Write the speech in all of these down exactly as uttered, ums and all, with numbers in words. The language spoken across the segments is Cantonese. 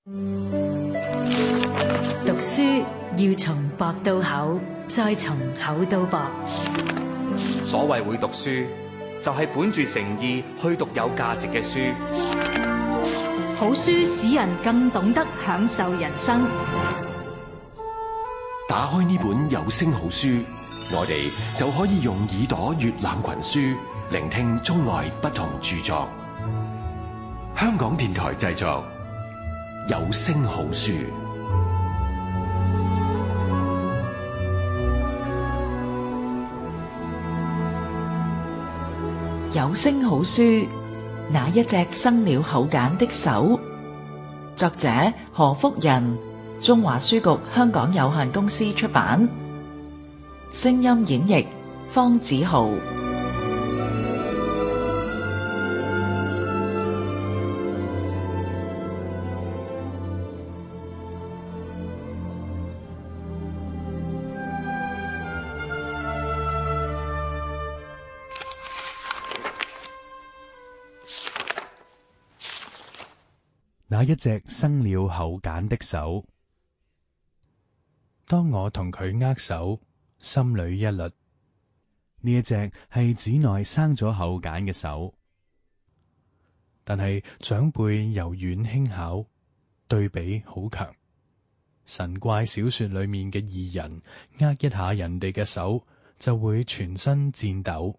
讀書要從薄到厚，再從厚到薄。所謂會讀書，就係本住誠意去讀有價值嘅書。好書使人更懂得享受人生。打開呢本有聲好書，我哋就可以用耳朵閱覽群書，聆聽中外不同著作。香港電台製作，有聲好書。有聲好書，那一隻生了口繭的手。作者何福仁，中華書局香港有限公司出版。聲音演繹方子豪。那一隻生了口繭的手。當我同佢握手，心裏一律，呢一隻係寺內生咗口繭嘅手。但係長輩柔軟輕巧，對比好強。神怪小說裏面嘅異人，握一下人哋嘅手，就會全身顫抖，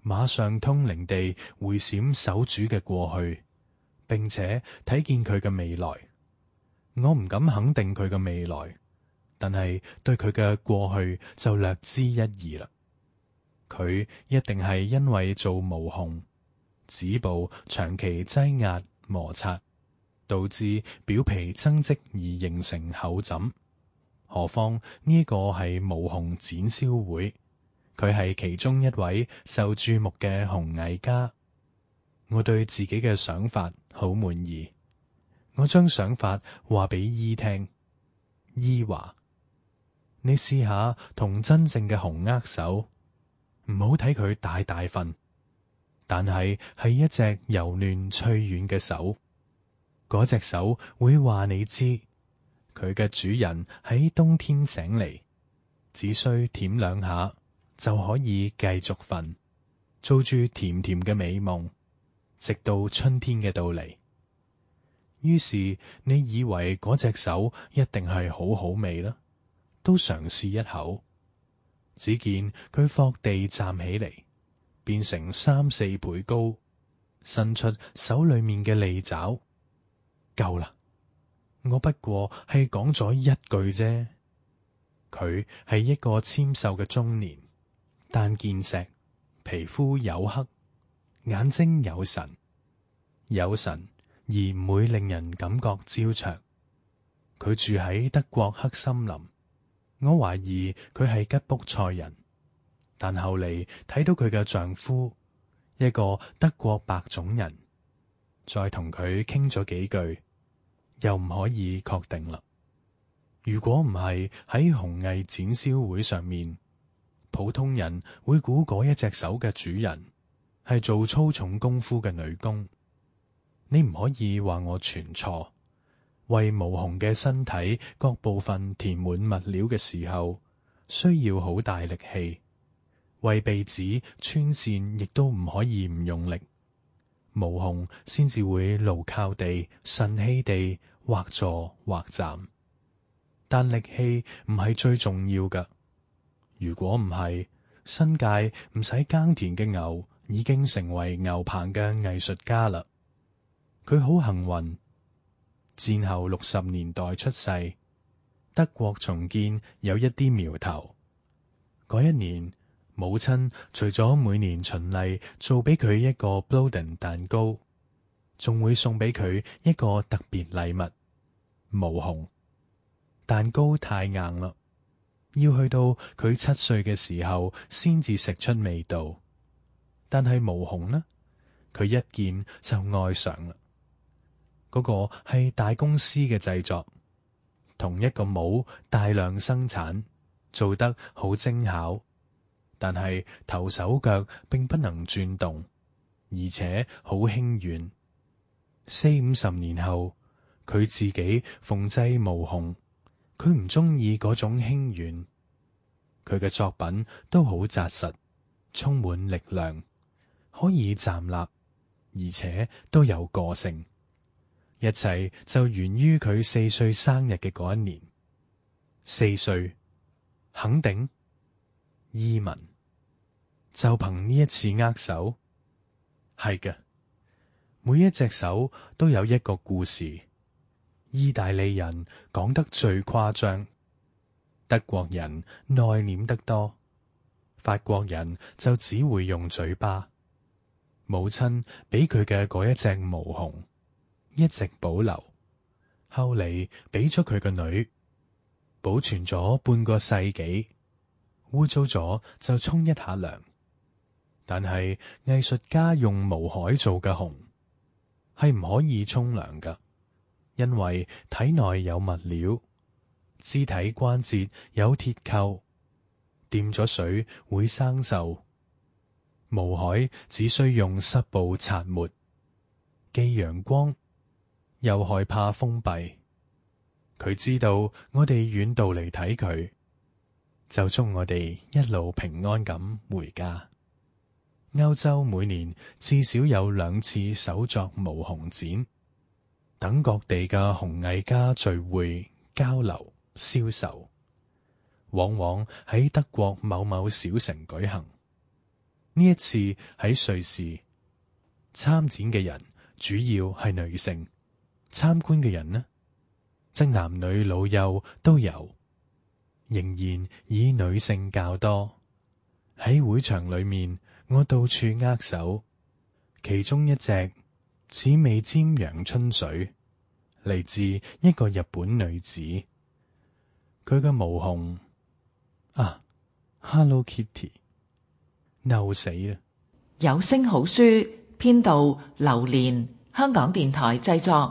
馬上通靈地回閃手主嘅過去。並且睇見佢嘅未來，我唔敢肯定佢嘅未來，但係對佢嘅過去就略知一二啦。佢一定係因為做毛熊，指部長期擠壓摩擦，導致表皮增積而形成口枕。何況呢個係毛熊展銷會，佢係其中一位受注目嘅熊藝家。我對自己嘅想法好滿意，我將想法話俾姨聽。姨話：你試下同真正嘅熊握手，唔好睇佢大大份，但係係一隻柔嫩脆軟嘅手。嗰隻手會話你知，佢嘅主人喺冬天醒嚟，只需舔兩下就可以繼續瞓，做住甜甜嘅美夢，直到春天嘅到嚟。於是你以為嗰隻手一定係好好味啦，都嘗試一口，只見佢霍地站起嚟，變成三四倍高，伸出手裏面嘅利爪。夠啦，我不過係講咗一句啫。佢係一個纖瘦嘅中年，但健碩，皮膚黝黑，眼睛有神，有神而唔會令人感覺焦灼。佢住喺德國黑森林，我懷疑佢係吉卜賽人，但後嚟睇到佢嘅丈夫，一個德國白種人，再同佢傾咗幾句，又唔可以確定啦。如果唔係喺熊藝展銷會上面，普通人會估嗰一隻手嘅主人係做粗重功夫嘅女工。你唔可以話我全錯。為毛熊嘅身體各部分填滿物料嘅時候，需要好大力氣。為鼻子穿線亦都唔可以唔用力。毛熊先至會牢靠地、順氣地或坐或站。但力氣唔係最重要㗎。如果唔係，新界唔使耕田嘅牛已經成為牛棚嘅藝術家啦。佢好幸運，戰後六十年代出世，德國重建有一啲苗頭。嗰一年，母親除咗每年循例做俾佢一個 Bloden 蛋糕，仲會送俾佢一個特別禮物——毛熊。蛋糕太硬啦，要去到佢七歲嘅時候先至食出味道。但係毛熊呢，佢一見就愛上啦。嗰個係大公司嘅製作，同一個帽大量生產，做得好精巧，但係頭手腳並不能轉動，而且好輕軟。四五十年後，佢自己縫製毛熊，佢唔中意嗰種輕軟。佢嘅作品都好紮實，充滿力量，可以站立，而且都有個性。一切就源於佢四歲生日嘅嗰一年。四歲，肯定，伊文，就憑呢一次握手，係嘅，每一隻手都有一個故事。意大利人講得最誇張，德國人內斂得多，法國人就只會用嘴巴。母親俾佢嘅嗰一隻毛熊一直保留，後嚟俾咗佢個女，保存咗半個世紀，污糟咗就沖一下涼。但係藝術家用毛海做嘅熊係唔可以沖涼㗎，因為體內有物料，肢體關節有鐵扣，掂咗水會生鏽。毛海只需用濕布擦抹，既陽光又害怕封閉。佢知道我哋遠道嚟睇佢，就祝我哋一路平安咁回家。歐洲每年至少有兩次手作毛熊展，等各地嘅熊藝家聚會、交流、銷售，往往喺德國某某小城舉行。呢一次喺瑞士，參展嘅人主要係女性，參觀嘅人呢，則男女老幼都有，仍然以女性較多。喺會場裏面，我到處握手，其中一隻似味尖陽春水，嚟自一個日本女子。佢嘅毛熊啊 ，Hello Kitty， 嬲死啦！有聲好書編導劉蓮，香港電台製作。